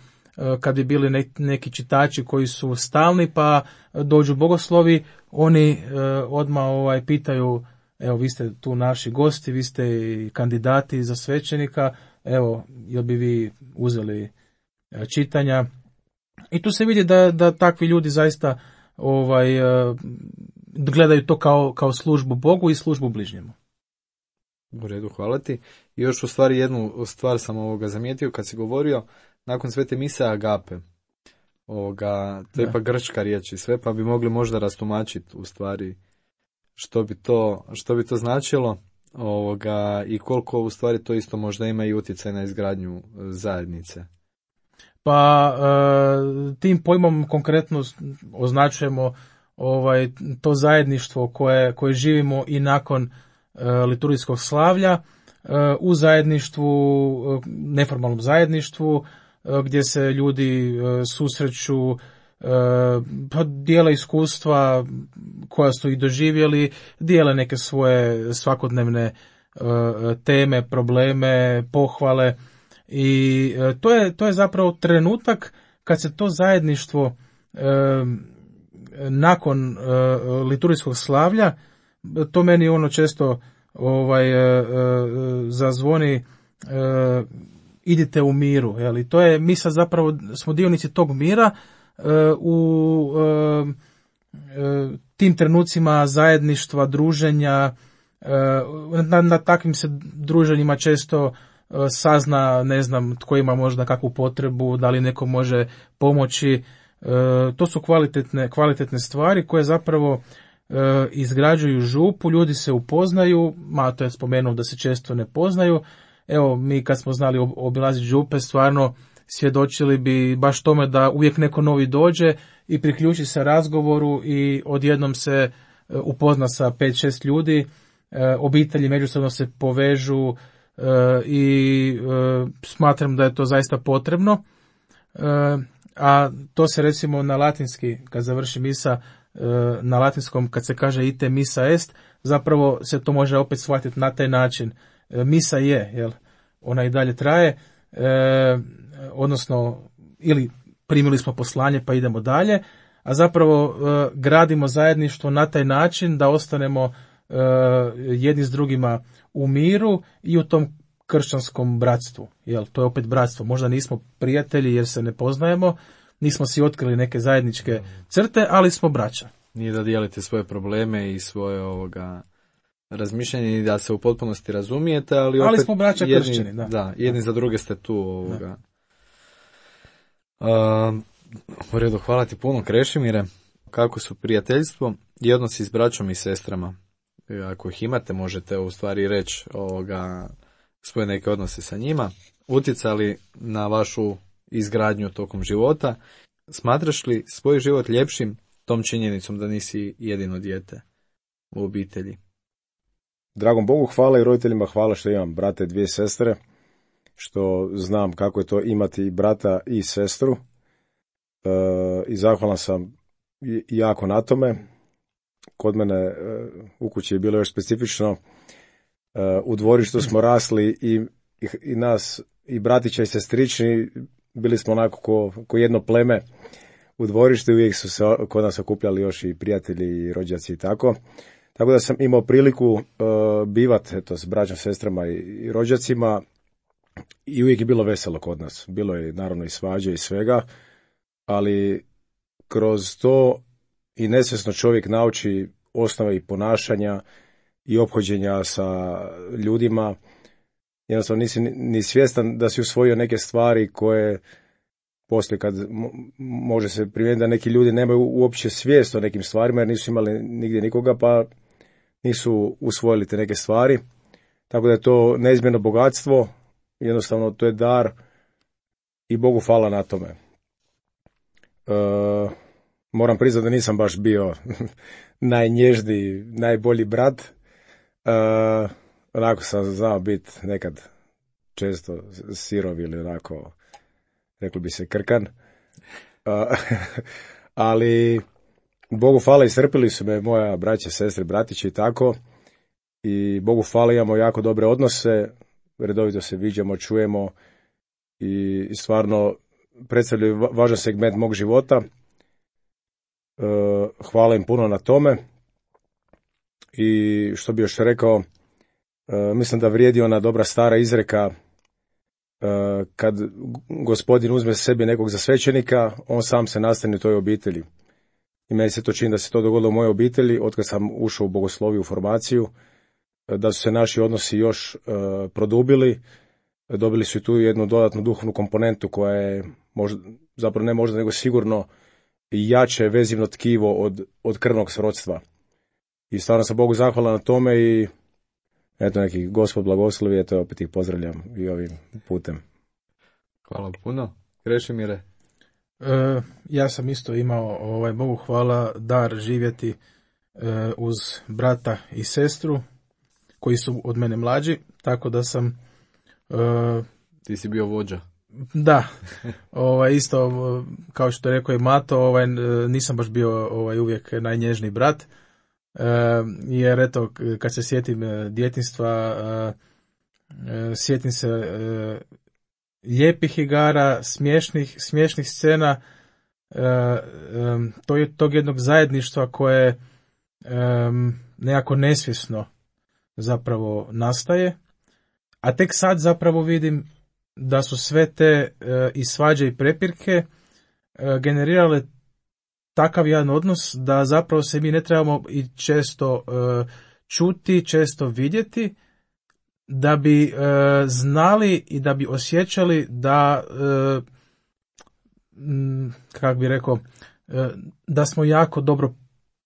[SPEAKER 3] kad bi bili neki čitači koji su stalni, pa dođu bogoslovi, oni odmah pitaju, evo, vi ste tu naši gosti, vi ste i kandidati za svećenika, evo, jel bi vi uzeli čitanja. I tu se vidi da takvi ljudi zaista gledaju to kao službu Bogu i službu bližnjemu.
[SPEAKER 2] U redu, hvala ti. I još u stvari jednu stvar sam zamijetio kad si govorio nakon svete mise agape. To je ipak grčka riječ i sve, pa bi mogli možda rastumačiti u stvari što bi to značilo i koliko u stvari to isto možda ima i utjecaj na izgradnju zajednice.
[SPEAKER 3] Pa tim pojmom konkretno označujemo to zajedništvo koje živimo i nakon liturgijskog slavlja u zajedništvu, neformalnom zajedništvu, gdje se ljudi susreću, pa dijele iskustva koja su i doživjeli, dijele neke svoje svakodnevne teme, probleme, pohvale i to je zapravo trenutak kad se to zajedništvo nakon liturgijskog slavlja, to meni često zazvoni idite u miru, jeli? To je, mi sad zapravo smo dionici tog mira u tim trenucima zajedništva, druženja, na takvim se druženjima često sazna, ne znam, tko ima možda kakvu potrebu, da li neko može pomoći. To su kvalitetne stvari koje zapravo izgrađuju župu, ljudi se upoznaju, Mato je spomenuo da se često ne poznaju. Evo, mi kad smo znali obilaziti župe, stvarno svjedočili bi baš tome da uvijek neko novi dođe i priključi se razgovoru i odjednom se upozna sa 5-6 ljudi, obitelji međusobno se povežu i smatram da je to zaista potrebno. A to se recimo na latinski, kad završi misa, na latinskom kad se kaže ite missa est, zapravo se to može opet shvatiti na taj način. Misa je, jel? Ona i dalje traje, odnosno ili primili smo poslanje pa idemo dalje, a zapravo gradimo zajedništvo na taj način da ostanemo jedni s drugima u miru i u tom kršćanskom bratstvu. Jel? To je opet bratstvo. Možda nismo prijatelji jer se ne poznajemo, nismo si otkrili neke zajedničke crte, ali smo braća.
[SPEAKER 2] Nije da dijelite svoje probleme i svoje razmišljanje i da se u potpunosti razumijete, ali opet
[SPEAKER 3] smo braća kršćani, da.
[SPEAKER 2] Da, jedni za druge ste tu. U redu, hvala ti puno, Krešimire. Kako su prijateljstvo i odnosi s braćom i sestrama? Ako ih imate, možete u stvari reći svoje neke odnose sa njima. Utjecali na vašu izgradnju tokom života? Smatraš li svoj život ljepšim tom činjenicom da nisi jedino dijete u obitelji?
[SPEAKER 4] Dragom Bogu hvala i roditeljima hvala što imam brate i 2 sestre, što znam kako je to imati i brata i sestru. I zahvalan sam jako na tome. Kod mene u kući je bilo još specifično. U dvorištu smo rasli i nas, i bratića i sestrični, bili smo onako ko jedno pleme u dvorištu i uvijek su se kod nas okupljali još i prijatelji i rođaci i tako. Tako da sam imao priliku bivati s braćom, sestrama i rođacima i uvijek je bilo veselo kod nas. Bilo je naravno i svađe i svega, ali kroz to i nesvjesno čovjek nauči osnove i ponašanja i ophođenja sa ljudima. Jednostavno nisi ni svjestan da si usvojio neke stvari koje poslije kad može se primijeniti da neki ljudi nemaju uopće svijest o nekim stvarima jer nisu imali nigdje nikoga pa nisu usvojili te neke stvari. Tako da je to neizmjerno bogatstvo, jednostavno to je dar i Bogu hvala na tome. Moram priznati da nisam baš bio najnježniji, najbolji brat. Onako sam znao biti nekad često sirov ili onako, reklo bi se, krkan. Ali Bogu hvala, iscrpili su me moja braća, sestre, bratići i tako. I Bogu hvala, imamo jako dobre odnose, redovito se viđamo, čujemo i stvarno predstavljaju važan segment mog života. Hvala im puno na tome. I što bi još rekao, mislim da vrijedi ona dobra stara izreka, kad gospodin uzme sebi nekog za svećenika, on sam se nastani u toj obitelji. I meni se to čini da se to dogodilo u mojoj obitelji, otkad sam ušao u bogosloviju, u formaciju, da su se naši odnosi još produbili. Dobili su i tu jednu dodatnu duhovnu komponentu koja je zapravo ne možda nego sigurno jače vezivno tkivo od krvnog srodstva. I stvarno sam Bogu zahvalan na tome i eto neki Gospod blagoslovi, eto opet ih pozdravljam i ovim putem.
[SPEAKER 2] Hvala puno. Krešimire?
[SPEAKER 3] Ja sam isto imao, Bogu hvala, dar živjeti uz brata i sestru koji su od mene mlađi, tako da sam...
[SPEAKER 2] Ti si bio vođa.
[SPEAKER 3] Da, isto kao što je rekao i Mato, nisam baš bio uvijek najnježniji brat, jer eto, kad se sjetim djetinjstva, sjetim se lijepih igara, smiješnih scena, tog jednog zajedništva koje nekako nesvjesno zapravo nastaje, a tek sad zapravo vidim da su sve te i svađe i prepirke generirale takav jedan odnos da zapravo se mi ne trebamo i često čuti, često vidjeti, da bi znali i da bi osjećali da, kako bi rekao, da smo jako dobro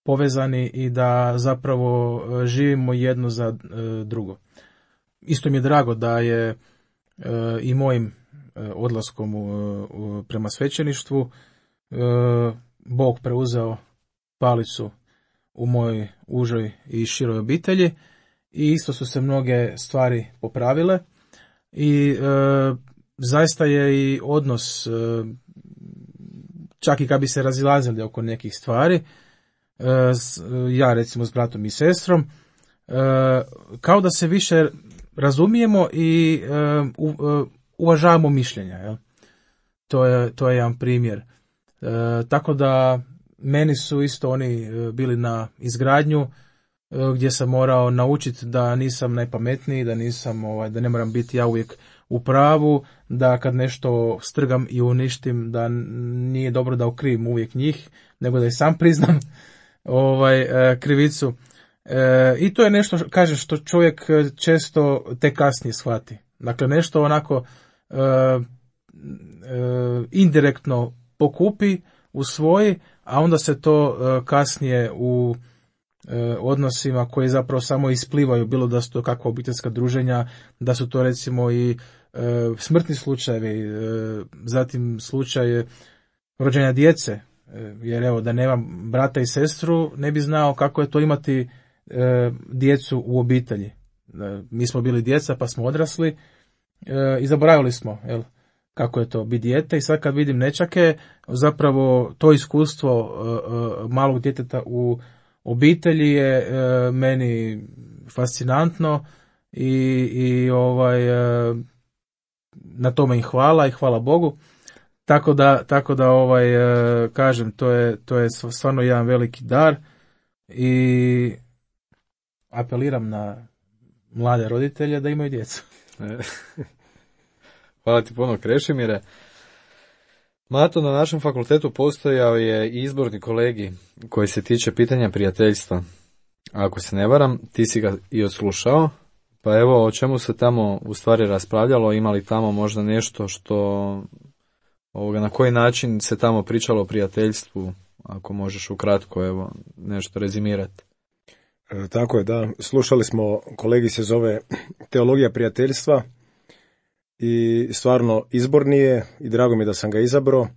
[SPEAKER 3] povezani i da zapravo živimo jedno za drugo. Isto mi je drago da je i mojim odlaskom prema svećeništvu Bog preuzeo palicu u mojoj užoj i široj obitelji i isto su se mnoge stvari popravile i zaista je i odnos, čak i kad bi se razilazili oko nekih stvari, ja recimo s bratom i sestrom, kao da se više razumijemo i uvažavamo mišljenja. Jel? To je jedan primjer. Tako da meni su isto oni bili na izgradnju gdje sam morao naučiti da nisam najpametniji, da nisam, da ne moram biti ja uvijek u pravu, da kad nešto strgam i uništim, da nije dobro da okrivim uvijek njih, nego da i sam priznam krivicu. I to je nešto, kaže, što čovjek često te kasnije shvati. Dakle, nešto onako indirektno pokupi, usvoji, a onda se to kasnije u odnosima koji zapravo samo isplivaju, bilo da su to kakva obiteljska druženja, da su to recimo i smrtni slučajevi, zatim slučaj rođenja djece, jer evo da nemam brata i sestru ne bi znao kako je to imati djecu u obitelji. Mi smo bili djeca pa smo odrasli i zaboravili smo kako je to biti dijete i sad kad vidim nečake, zapravo to iskustvo malog djeteta u obitelji je meni fascinantno i na tome im hvala i hvala Bogu. Tako da kažem, to je stvarno jedan veliki dar i apeliram na mlade roditelje da imaju djecu.
[SPEAKER 2] Hvala ti puno, Krešimire. Mato, na našem fakultetu postojao je izborni kolegij koji se tiče pitanja prijateljstva. Ako se ne varam, ti si ga i odslušao, pa evo o čemu se tamo u stvari raspravljalo, imali tamo možda nešto što, na koji način se tamo pričalo o prijateljstvu, ako možeš ukratko evo nešto rezimirati.
[SPEAKER 4] Tako je, da. Slušali smo, kolegi se zove Teologija prijateljstva i stvarno izborni je i drago mi je da sam ga izabrao.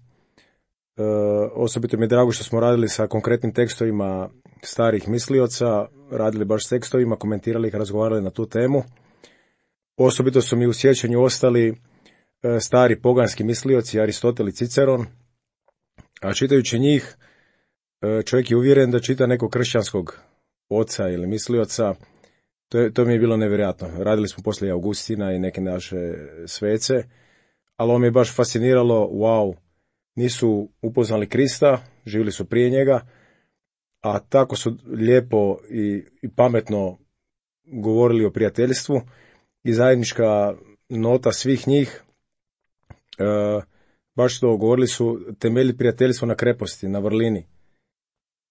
[SPEAKER 4] Osobito mi je drago što smo radili sa konkretnim tekstovima starih mislioca, radili baš s tekstovima, komentirali ih, razgovarali na tu temu. Osobito su mi u sjećanju ostali stari poganski mislioci, Aristotel i Ciceron, a čitajući njih čovjek je uvjeren da čita nekog kršćanskog oca ili mislioca. To mi je bilo nevjerojatno. Radili smo poslije Augustina i neke naše svece, ali ovo mi je baš fasciniralo, wow, nisu upoznali Krista, živjeli su prije njega, a tako su lijepo i pametno govorili o prijateljstvu i zajednička nota svih njih, baš to govorili su, temelji prijateljstvo na kreposti, na vrlini.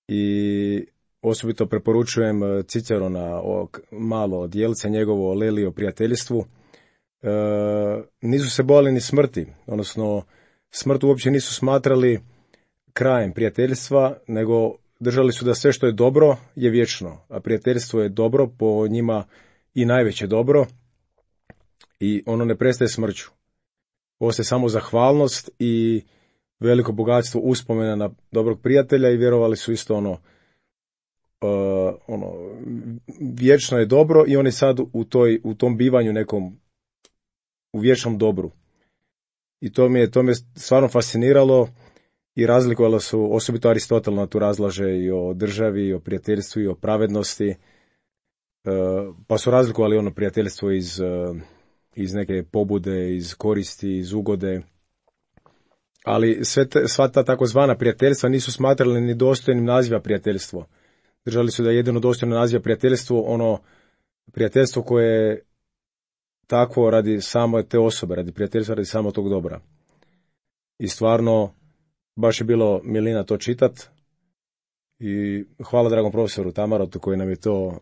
[SPEAKER 4] I Osobito preporučujem Cicerona, malo djelce njegovo Leli o prijateljstvu. Nisu se bojali ni smrti, odnosno smrt uopće nisu smatrali krajem prijateljstva, nego držali su da sve što je dobro je vječno, a prijateljstvo je dobro, po njima i najveće dobro, i ono ne prestaje smrću. Ostaje samo zahvalnost i veliko bogatstvo uspomena na dobrog prijatelja, i vjerovali su isto vječno je dobro, i oni sad u tom bivanju nekom u vječnom dobru. I to me stvarno fasciniralo, i razlikovalo su, osobito Aristotel na tu razlaže i o državi, i o prijateljstvu, i o pravednosti, pa su razlikovali prijateljstvo iz neke pobude, iz koristi, iz ugode, ali sva ta takozvana prijateljstva nisu smatrali ni dostojnim naziva prijateljstvo. Držali su da je jedino dostojno naziva prijateljstvo prijateljstvo koje je takvo radi samo te osobe, radi prijateljstva, radi samo tog dobra. I stvarno, baš je bilo milina to čitat, i hvala dragom profesoru Tamarotu koji nam je to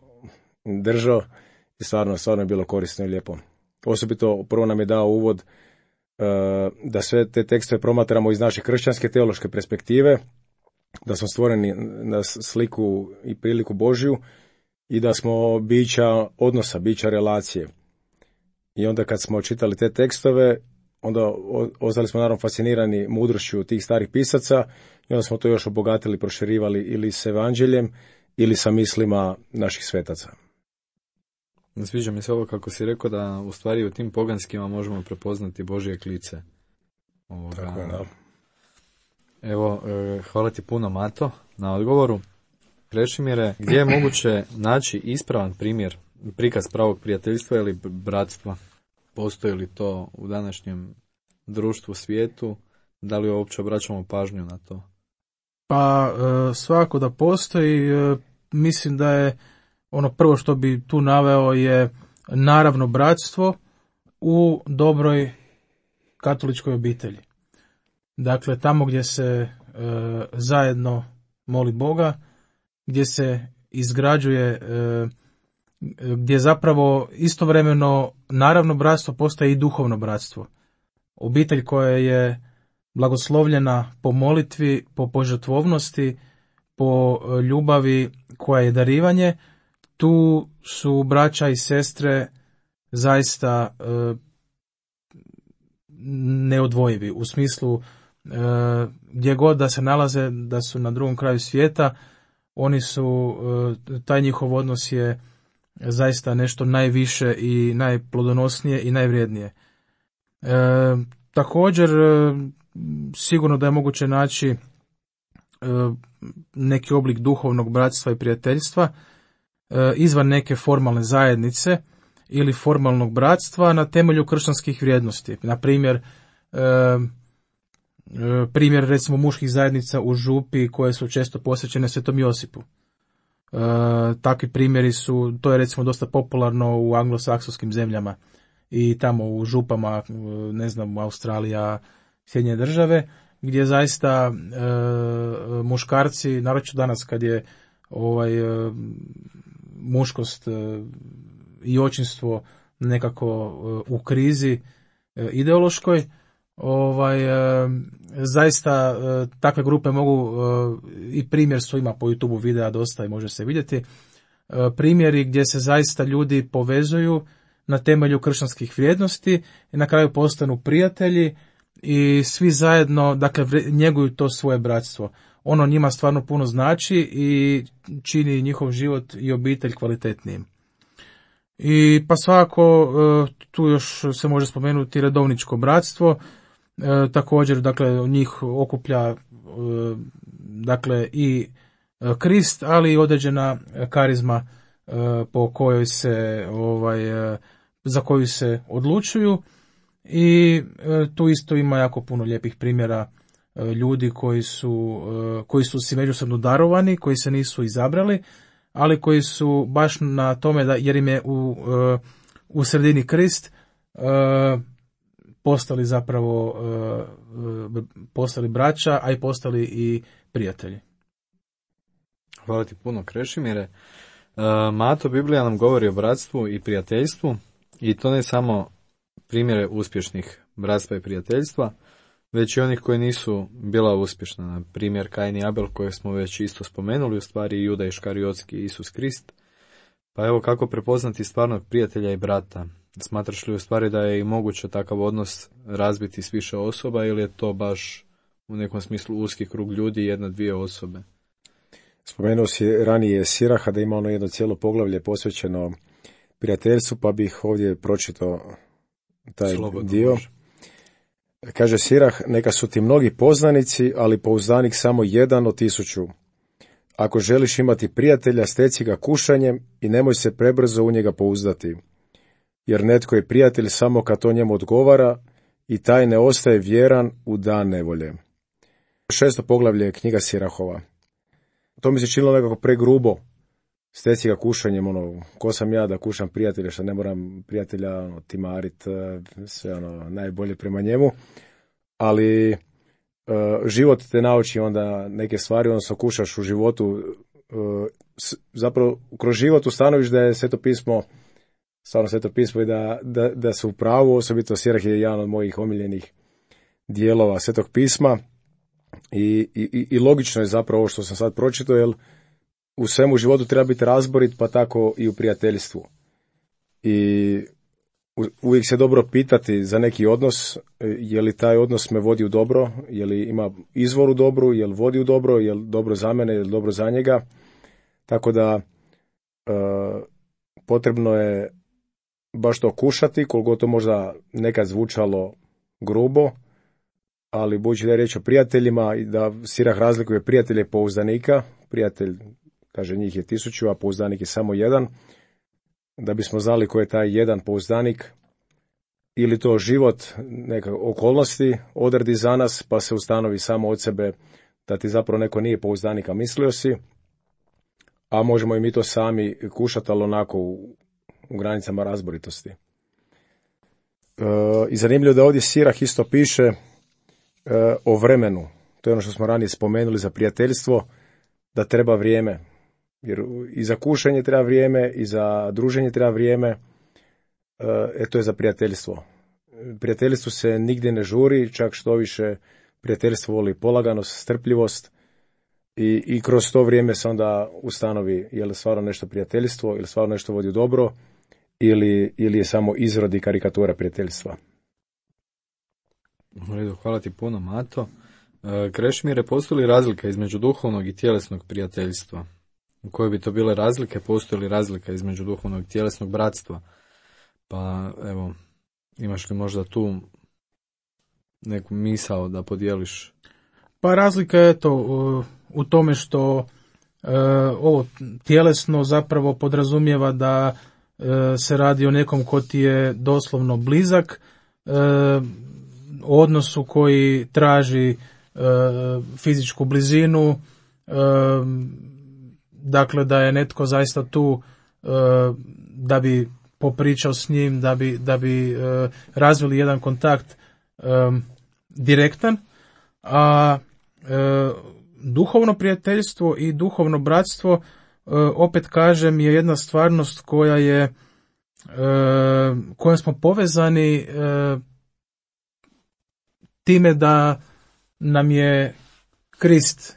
[SPEAKER 4] držao, i stvarno je bilo korisno i lijepo. Osobito prvo nam je dao uvod da sve te tekstove promatramo iz naše kršćanske teološke perspektive, da smo stvoreni na sliku i priliku Božju, i da smo bića odnosa, bića relacije. I onda kad smo čitali te tekstove, onda ostali smo naravno fascinirani mudrošću tih starih pisaca, i onda smo to još obogatili, proširivali ili s evanđeljem ili sa mislima naših svetaca.
[SPEAKER 2] Sviđa mi se ovo kako si rekao, da u stvari u tim poganskima možemo prepoznati Božje klice.
[SPEAKER 4] Tako je, da.
[SPEAKER 2] Evo, hvala ti puno, Mato, na odgovoru. Krešimire, gdje je moguće naći ispravan prikaz pravog prijateljstva ili bratstva? Postoji li to u današnjem društvu, svijetu? Da li uopće obraćamo pažnju na to?
[SPEAKER 3] Pa svako da postoji. Mislim da je ono prvo što bi tu naveo je naravno bratstvo u dobroj katoličkoj obitelji. Dakle, tamo gdje se zajedno moli Boga, gdje se izgrađuje, gdje zapravo istovremeno naravno bratstvo postaje i duhovno bratstvo. Obitelj koja je blagoslovljena po molitvi, po požrtvovnosti, po ljubavi koja je darivanje, tu su braća i sestre zaista neodvojivi, u smislu gdje god da se nalaze, da su na drugom kraju svijeta, oni su, taj njihov odnos je zaista nešto najviše i najplodonosnije i najvrijednije. Također, sigurno da je moguće naći neki oblik duhovnog bratstva i prijateljstva izvan neke formalne zajednice ili formalnog bratstva na temelju kršćanskih vrijednosti. Na primjer recimo muških zajednica u župi koje su često posvećene Svetom Josipu. Takvi primjeri su, to je recimo dosta popularno u anglosaksonskim zemljama i tamo u župama, ne znam, Australija, Sjedinjene Države, gdje zaista muškarci, naročito danas kad je muškost i očinstvo nekako u krizi ideološkoj, zaista takve grupe mogu, i primjer su, ima po YouTubeu videa dosta i može se vidjeti, primjeri gdje se zaista ljudi povezuju na temelju kršćanskih vrijednosti i na kraju postanu prijatelji i svi zajedno, dakle, njeguju to svoje bratstvo. Ono njima stvarno puno znači i čini njihov život i obitelj kvalitetnijim. I pa svakako tu još se može spomenuti redovničko bratstvo, također, dakle, njih okuplja dakle i Krist, ali i određena karizma po kojoj se za koju se odlučuju, i tu isto ima jako puno lijepih primjera ljudi koji su si međusobno darovani, koji se nisu izabrali, ali koji su baš na tome, jer im je u sredini Krist, postali zapravo postali braća, a i postali i prijatelji.
[SPEAKER 2] Hvala ti puno, Krešimire. Mato, Biblija nam govori o bratstvu i prijateljstvu, i to ne samo primjere uspješnih bratstva i prijateljstva, već i onih koji nisu bila uspješna. Na primjer Kain i Abel, koje smo već isto spomenuli, u stvari Juda Iškariotski i Isus Krist. Pa evo, kako prepoznati stvarnog prijatelja i brata? Smatraš li u stvari da je i moguće takav odnos razbiti s više osoba, ili je to baš u nekom smislu uski krug ljudi, jedna, dvije osobe?
[SPEAKER 4] Spomenuo si ranije Siraha da ima ono jedno cijelo poglavlje posvećeno prijateljstvu, pa bih ovdje pročitao taj
[SPEAKER 2] Slobodno
[SPEAKER 4] dio.
[SPEAKER 2] može.
[SPEAKER 4] Kaže Sirah, neka su ti mnogi poznanici, ali pouzdanik samo 1 od 1000. Ako želiš imati prijatelja, steci ga kušanjem i nemoj se prebrzo u njega pouzdati. Jer netko je prijatelj samo kad to njemu odgovara i taj ne ostaje vjeran u dan nevolje. 6. poglavlje knjiga Sirahova. To mi se činilo nekako pregrubo. Steci ga kušanjem, ko sam ja da kušam prijatelja, što ne moram prijatelja timarit, sve najbolje prema njemu. Ali život te nauči onda neke stvari, odnosno kušaš u životu, zapravo kroz život ustanoviš da je Sveto pismo, stvarno Sveto pismo, i da su u pravu, osobito Sirah je jedan od mojih omiljenih dijelova Svetog pisma. I logično je zapravo ovo što sam sad pročitao, jer u svemu životu treba biti razborit, pa tako i u prijateljstvu. I uvijek se dobro pitati za neki odnos, je li taj odnos me vodi u dobro, je li ima izvor u dobru, je li vodi u dobro, je li dobro za mene, je li dobro za njega. Tako da potrebno je baš to kušati, koliko to možda nekad zvučalo grubo, ali budući da je riječ o prijateljima, i da Sirah razlikuje prijatelje i pouzdanika, prijatelj, kaže, njih je 1000, a pouzdanik je samo 1, da bismo znali ko je taj jedan pouzdanik, ili to život, neka okolnosti odredi za nas, pa se ustanovi samo od sebe da ti zapravo neko nije pouzdanik, a mislio si, a možemo i mi to sami kušati, ali onako u granicama razboritosti. I zanimljivo da ovdje Sirah isto piše o vremenu. To je ono što smo ranije spomenuli za prijateljstvo, da treba vrijeme. Jer i za kušanje treba vrijeme, i za druženje treba vrijeme, to je za prijateljstvo. Prijateljstvu se nigdje ne žuri, čak što više prijateljstvo voli polaganost, strpljivost, i kroz to vrijeme se onda ustanovi je li stvarno nešto prijateljstvo, ili stvarno nešto vodi u dobro, ili je samo izrod i karikatura prijateljstva.
[SPEAKER 2] U redu, hvala ti puno, Mato. Krešimire, postoji li razlika između duhovnog i tjelesnog prijateljstva? Koje bi to bile razlike? Postoji li razlika između duhovnog i tjelesnog bratstva? Pa evo, imaš li možda tu neku misao da podijeliš?
[SPEAKER 3] Pa razlika je to u tome što ovo tjelesno zapravo podrazumijeva da se radi o nekom ko ti je doslovno blizak, odnosu koji traži fizičku blizinu, dakle da je netko zaista tu da bi popričao s njim, da bi razvili jedan kontakt direktan, a duhovno prijateljstvo i duhovno bratstvo, opet kažem, je jedna stvarnost kojom smo povezani time da nam je Krist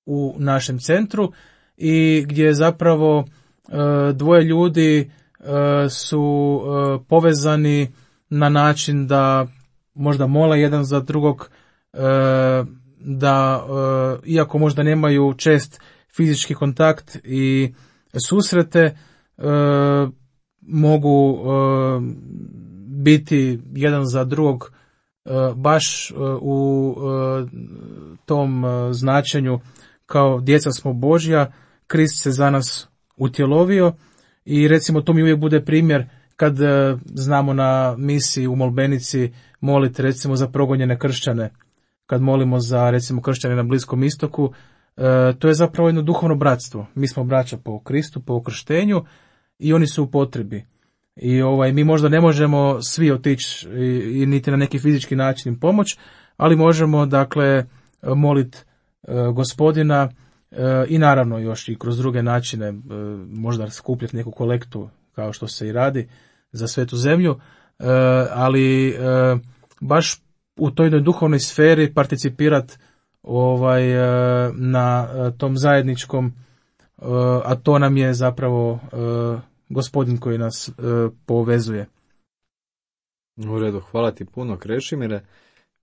[SPEAKER 3] u našem centru, i gdje zapravo dvoje ljudi su povezani na način da možda mole jedan za drugog, da iako možda nemaju čest fizički kontakt i susrete, mogu biti jedan za drugog baš u tom značenju kao djeca smo Božja, Krist se za nas utjelovio, i recimo to mi uvijek bude primjer kad znamo na misiji u molbenici moliti recimo za progonjene kršćane, kad molimo za recimo kršćane na Bliskom istoku, to je zapravo jedno duhovno bratstvo. Mi smo braća po Kristu, po ukrštenju, i oni su u potrebi. I mi možda ne možemo svi otići i niti na neki fizički način im pomoć, ali možemo dakle moliti Gospodina i naravno još i kroz druge načine, možda skupljati neku kolektu kao što se i radi za svetu zemlju, ali baš u toj jednoj duhovnoj sferi participirati na tom zajedničkom, a to nam je zapravo Gospodin koji nas povezuje.
[SPEAKER 2] U redu, hvala ti puno, Krešimire.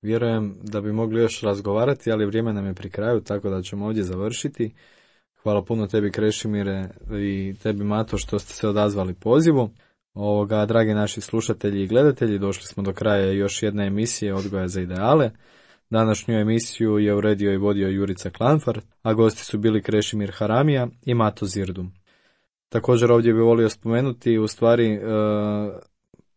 [SPEAKER 2] Vjerujem da bi mogli još razgovarati, ali vrijeme nam je pri kraju, tako da ćemo ovdje završiti. Hvala puno tebi, Krešimire, i tebi, Mato, što ste se odazvali pozivu. Dragi naši slušatelji i gledatelji, došli smo do kraja još jedne emisije Odgoja za ideale. Današnju emisiju je uredio i vodio Jurica Klanfar, a gosti su bili Krešimir Haramija i Mato Zirdu. Također ovdje bih volio spomenuti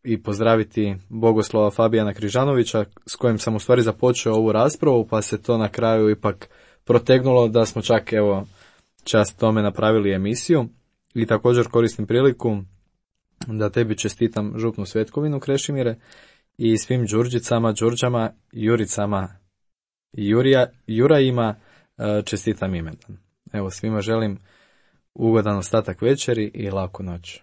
[SPEAKER 2] i pozdraviti bogoslova Fabijana Križanovića, s kojim sam započeo ovu raspravu, pa se to na kraju ipak protegnulo da smo čak čast tome napravili emisiju. I također koristim priliku da tebi čestitam župnu svetkovinu, Krešimire, i svim Đurđicama, Đurđama, Juricama i Jurajima čestitam imendan. Svima želim ugodan ostatak večeri i laku noć.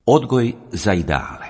[SPEAKER 1] Odgoj za ideale.